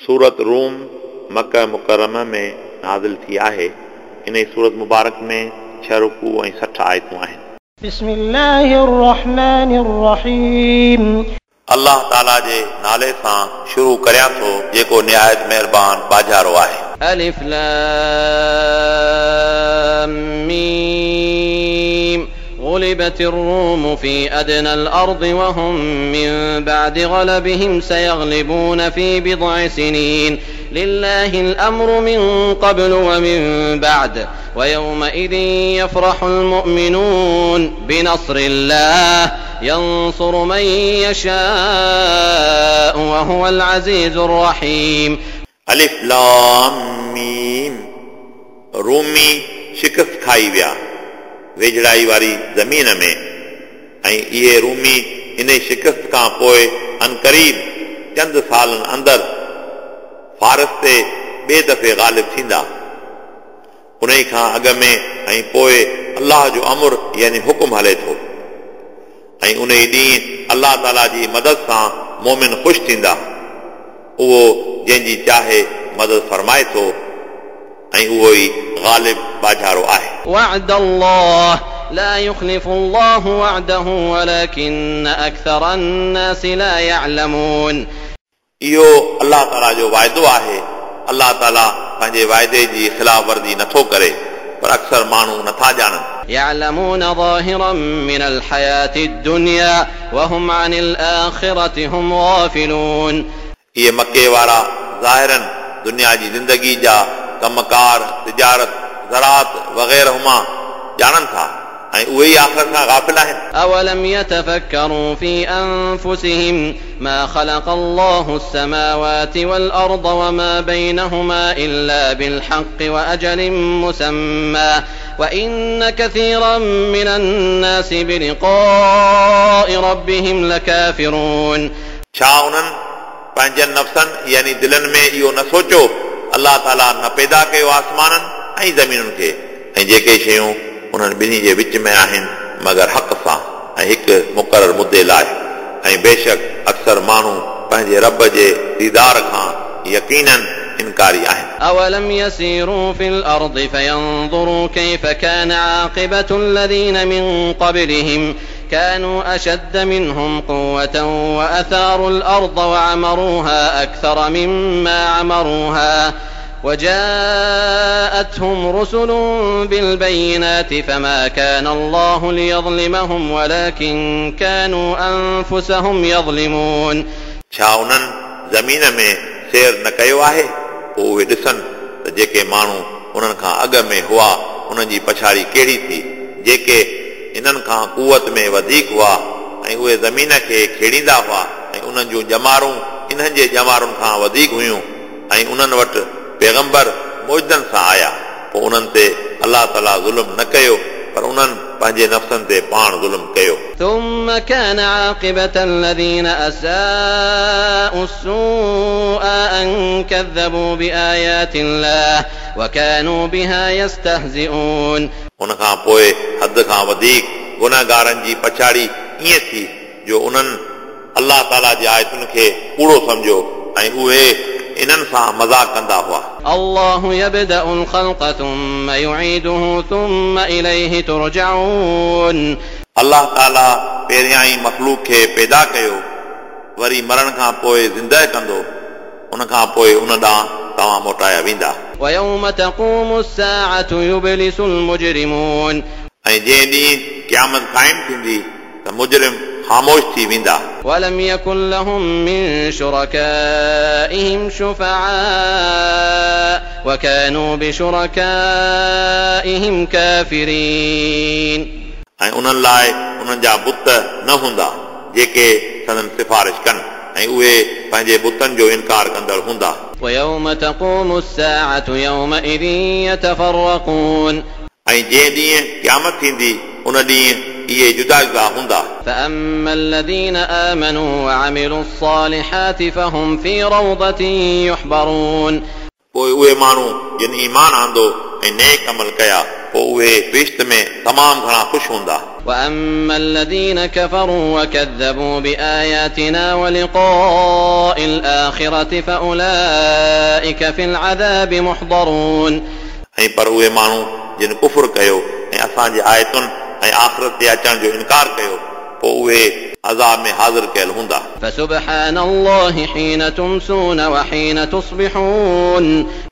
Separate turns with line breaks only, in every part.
سورت room مڪه مڪرمه ۾ نازل ٿي آهي. انهي سورت مبارڪ ۾ ڇهه رڪوع ۽ 60 آيتون آهن.
بسم الله الرحمن الرحيم.
الله تعالي جي نالي سان شروع ڪريان ٿو جيڪو نهايت مهربان ٻاجهارو آهي.
الف لام ميم غلبت الروم في أدنى الأرض وهم من بعد غلبهم سيغلبون في بضع سنين لله الأمر من قبل ومن بعد ويومئذ يفرح المؤمنون بنصر الله ينصر من يشاء وهو العزيز الرحيم.
الف لام ميم رومي شڪست کائي ويا ويجهڙائي واري زمين ۾، ۽ اهي رومي انهي شڪست کان پوءِ عنقريب چند سالن اندر فارس تي ٻئي دفعي غالب ٿيندا. انهي کان اڳ ۾ ۽ پوءِ الله جو امر يعني حڪم هلي ٿو، ۽ انهي ڏينهن الله تعالي جي مدد سان مومن خوش ٿيندا. اهو جنهن جي چاهي مدد فرمائي ٿو ۽ اهو ئي غالب ٻاجهارو آهي.
وعد الله لا يخلف الله وعده ولكن أڪثر الناس لا يعلمون.
اهو الله تعالي جو واعدو آهي. الله تعالي پنهنجي واعدي جي خلاف ورزي نٿو ڪري، پر اڪثر ماڻهو نٿا ڄاڻن.
يعلمون ظاهرا من الحياة الدنيا وهم عن الآخرة هم غافلون.
اهي مڪي وارا ظاهراً دنيا جي زندگي جا ڪم ڪار، تجارت، زراعت وغيره مان ڄاڻن ٿا ۽ اهي ئي آخرت کان غافل آهن.
أولم يتفڪروا في أنفسهم ما خلق الله السماوات والأرض وما بينهما إلا بالحق وأجل مسمى وإن كثيرا من الناس بلقاء ربهم لڪافرون.
ڇا انهن پنهنجن نفسن يعني دلن ۾ اهو نه سوچيو، الله تعاليٰ نه پيدا ڪيو آسمانن ۽ زمينن کي ۽ جيڪي شيون انهن ٻنهي جي وچ ۾ آهن مگر حق سان ۽ هڪ مقرر مدي لاء، ۽ بيشڪ اڪثر ماڻهو پنهنجي رب جي ديدار کان يقيناً انڪاري آهن.
أولم يسيروا في الأرض فينظروا كيف كان عاقبة الذين من قبلهم كانوا أشد منهم قوة وأثاروا الأرض وعمروها أكثر مما عمروها وجاءتهم رسل بالبينات فما كان الله ليظلمهم ولكن كانوا أنفسهم يظلمون.
ڇا انهن زمين ۾ سير نه ڪيو آهي؟ پوء اهي ڏسن ته جيڪي ماڻهو انهن کان اڳ ۾ هئا انهن جي پڇاڙي ڪهڙي ٿي، جيڪي انهن کان قوت ۾ وڌيڪ هئا ۽ اهي زمين کي کيڙيندا هئا ۽ انهن جون ڄمارون انهن جي ڄمارن کان وڌيڪ هيون ۽ انهن وٽ پيغمبر معجزن سان آيا، پوء انهن تي الله تعاليٰ ظلم نه ڪيو پر انهن پنهنجي نفسن تي پاڻ ظلم ڪيو.
ثم ڪان عاقبة الذين اساءوا السوء ان ڪذبوا بآيات الله وڪانوا بها يستهزئون.
ان کان پوء حد کان وڌيڪ گنهگارن جي پڇاڙي ائين ٿي جو انهن الله تعاليٰ جي آيتن کي ڪوڙو سمجهيو ۽ اهي انهن سان مذاق ڪندا هئا.
الله يبدأ الخلق ثم يعيده ثم اليه ترجعون.
الله تعاليٰ پهريائين مخلوق کي پيدا ڪيو، وري مرڻ کان پوء زندهه ڪندو، ان کان پوء ان ڏانهن توهان موٽايا ويندا.
ويوم تقوم الساعة يبلس المجرمون.
۽ جنهن ڏينهن قيامت قائم ٿيندي ته مجرم خاموش ٿي ويندا.
ولم يڪن لهم من شرڪائهم شفعاء وڪانوا بشرڪائهم ڪافرين.
۽ انهن لاء انهن جا بت نه هوندا جيڪي سندن سفارش ڪن، ۽ اهي پنهنجي بتن جو انڪار ڪندڙ هوندا.
ويوم تقوم الساعة يومئذ يتفرقون.
۽ جنهن ڏينهن قيامت ٿيندي ان ڏينهن اهي جدا جدا هوندا.
فاما الذين آمنوا وعملوا الصالحات فهم في روضة يحبرون.
پوء اهي ماڻهو جن ايمان آندو ۽ نيڪ عمل ڪيا پوء اهي بهشت ۾ تمام گهڻا خوش هوندا.
وأما الذين كفروا وكذبوا بآياتنا ولقاء الآخرة فأولئك في العذاب محضرون.
ऐं पर उहे माण्हू जिन कुफुर कयो ऐं असांजे आयतुनि ऐं आख़िरत ते अचण जो इनकार कयो पोइ उहे अज़ाब में हाज़िर कयल हूंदा।
فسبحان الله حين تمسون وحين تصبحون.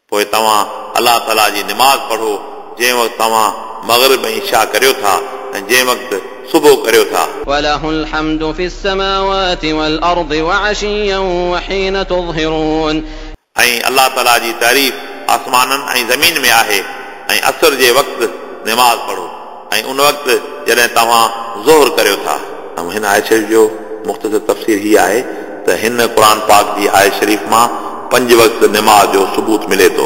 पोइ तव्हां अलाह ताला जी निमाज़ पढ़ो जंहिं वक़्तु तव्हां मग़रिब ऐं इशा करियो था ऐं जंहिं वक़्तु सुबुह करियो था।
وله الحمد في السماوات والأرض وعشيا وحين تظهرون.
ऐं अलाह ताला जी तारीफ़ आसमाननि ऐं ज़मीन में आहे ऐं असर जे वक़्तु निमाज़ पढ़ो ऐं उन वक़्तु जॾहिं तव्हां ज़ोहर करियो था। ऐं हिन आयत शरीफ़ जो मुख़्तसर तफ़सीर हीअ आहे त हिन क़ुर पाक जी आयत शरीफ़ मां पंज वक़्त निमाज़ जो सबूत मिले थो।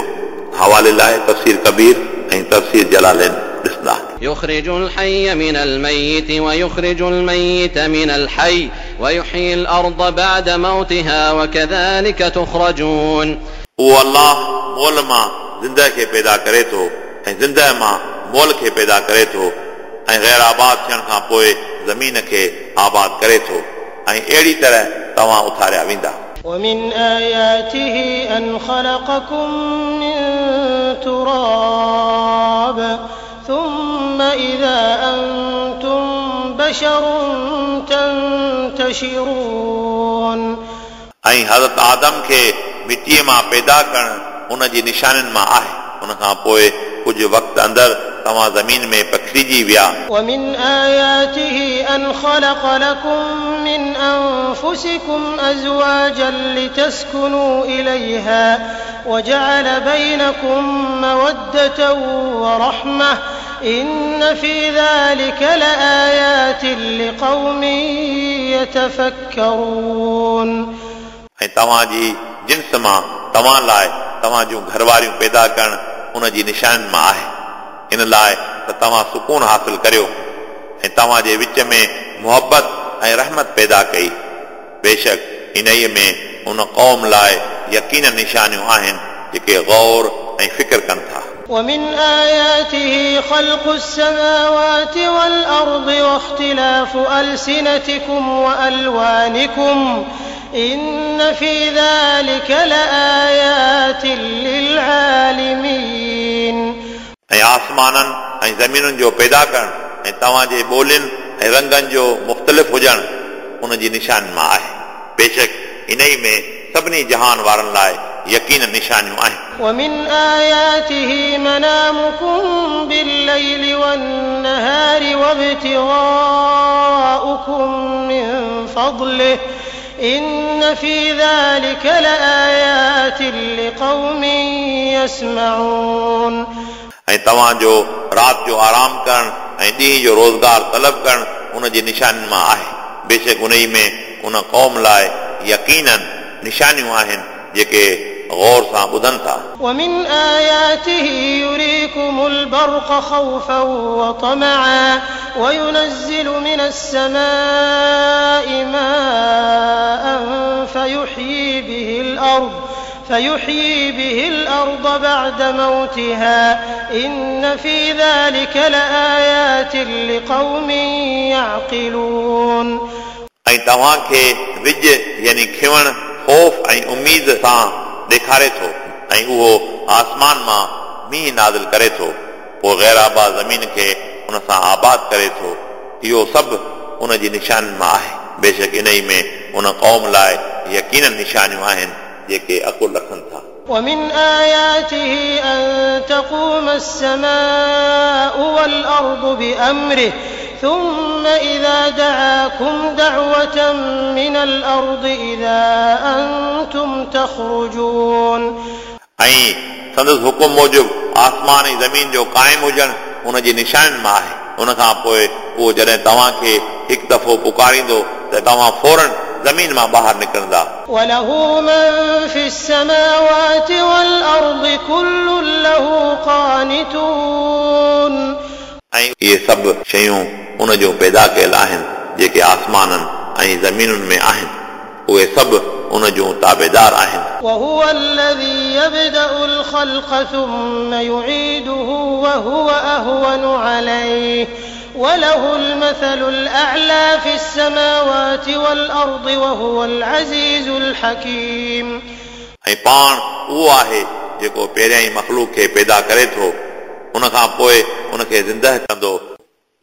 हवाले लाइ तफ़सीर कबीर ऐं तफ़सीर जलालैन ॾिसंदा।
يخرج الحي من الميت ويخرج الميت من الحي ويحيي الأرض بعد موتها وكذلك تخرجون.
उहो अलाह मोल मां ज़िंदा खे पैदा करे थो ऐं ज़िंदा मां मोल खे पैदा करे थो ऐं ग़ैर आबाद थियण खां पोइ ज़मीन खे आबाद करे थो ऐं अहिड़ी तरह तव्हां उथारिया वेंदा।
ومن آياته أن خلقكم من تراب ثم إذا أنتم بشر تنتشرون.
ऐं हज़रत आदम खे मिटीअ मां पैदा करणु उन जी निशानियुनि मां आहे। उन खां पोइ कुझु वक़्त अंदरि तव्हां ज़मीन में पखिड़िजी विया।
ومن آياته أن خلق لكم من أنفسكم أزواجا لتسكنوا إليها وجعل بينكم مودة ورحمة إن في ذلك لآيات لقوم يتفكرون.
ऐं तव्हांजी जिन्स मां तव्हां लाइ तव्हां जूं घरवारियूं पैदा करणु उन जी निशानियुनि मां आहे। इन लाइ त तव्हां सुकून हासिल करियो ऐं तव्हांजे विच में मुहबत ऐं रहमत पैदा कई। बेशक इन्हीअ में उन क़ौम लाइ यकीन निशानियूं आहिनि जेके गौर ऐं फ़िक्र कनि था।
ومن آياته خلق السماوات والأرض واختلاف ألسنتكم وألوانكم إن في ذلك لآيات للعالمين.
ऐं आसमाननि ऐं ज़मीनुनि जो पैदा करणु ऐं तव्हांजे ॿोलियुनि ऐं रंगनि जो मुख़्तलिफ़ हुजणु उन जी निशान मां आहे। बेशक इन्ही में सभिनी जहान वारनि लाइ यकीन निशानियूं आहिनि।
ومن آياته منامكم بالليل والنهار وابتغاؤكم من فضله إن في ذلك لآيات لقوم يسمعون.
ऐं तव्हांजो राति जो आराम करणु ऐं ॾींहुं जो रोज़गार तलब करणु उन जी निशानियुनि मां आहे। बेशक उन में उन क़ौम लाइ यकीनन निशानियूं आहिनि जेके गौर सां ॿुधनि था।
ومن آياته يريكم البرق خوفا وطمعا وينزل من السماء ماء فيحيي به الأرض بعد موتها إن في ذلك لآيات لقوم يعقلون.
ऐं तव्हांखे विज यानी खिवण ख़ौफ़ ऐं उमेद सां ॾेखारे थो ऐं उहो आसमान मां मींहुं नाज़िल करे थो पोइ ग़ैर आबाद ज़मीन खे उन सां आबाद करे थो। इहो सभु उन जी निशानियुनि मां आहे। बेशक इन में उन क़ौम लाइ यकीन निशानियूं आहिनि जेके अकुल रखनि था।
ومن آياته أن تقوم السماء والأرض بأمره ثم إذا دعاكم دعوة من الأرض إذا أنتم تخرجون.
ऐं संदसि हुकुम मूजिबि आसमान ऐं ज़मीन जो क़ाइमु हुजणु उन जी निशानियुनि मां आहे। उन खां पोइ उहो जॾहिं तव्हांखे हिकु दफ़ो पुकारींदो त तव्हां फ़ौरन ज़मीन मां ॿाहिरि निकिरंदा।
وله من في السماوات والأرض كل له قانتون.
ऐं इहे सभु शयूं उन जूं पैदा कयल आहिनि जेके आसमाननि ऐं ज़मीनुनि में आहिनि, उहे सभु उन जूं ताबेदार आहिनि।
وهو الذي يبدأ الخلق ثم يعيده وهو أهون عليه وله المثل الأعلى في السماوات والأرض وهو العزيز الحكيم.
ऐं पाण उहो आहे जेको पहिरियां ई मख़लूक खे पैदा करे थो, उन खां पोइ उनखे ज़िंदह कंदो।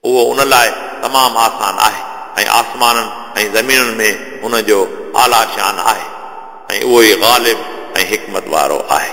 उहो उन लाइ तमामु आसान आहे ऐं आसमाननि ऐं ज़मीनुनि में उन जो आला शान आहे ऐं उहो ई ग़ालिब ऐं हिकमत वारो आहे।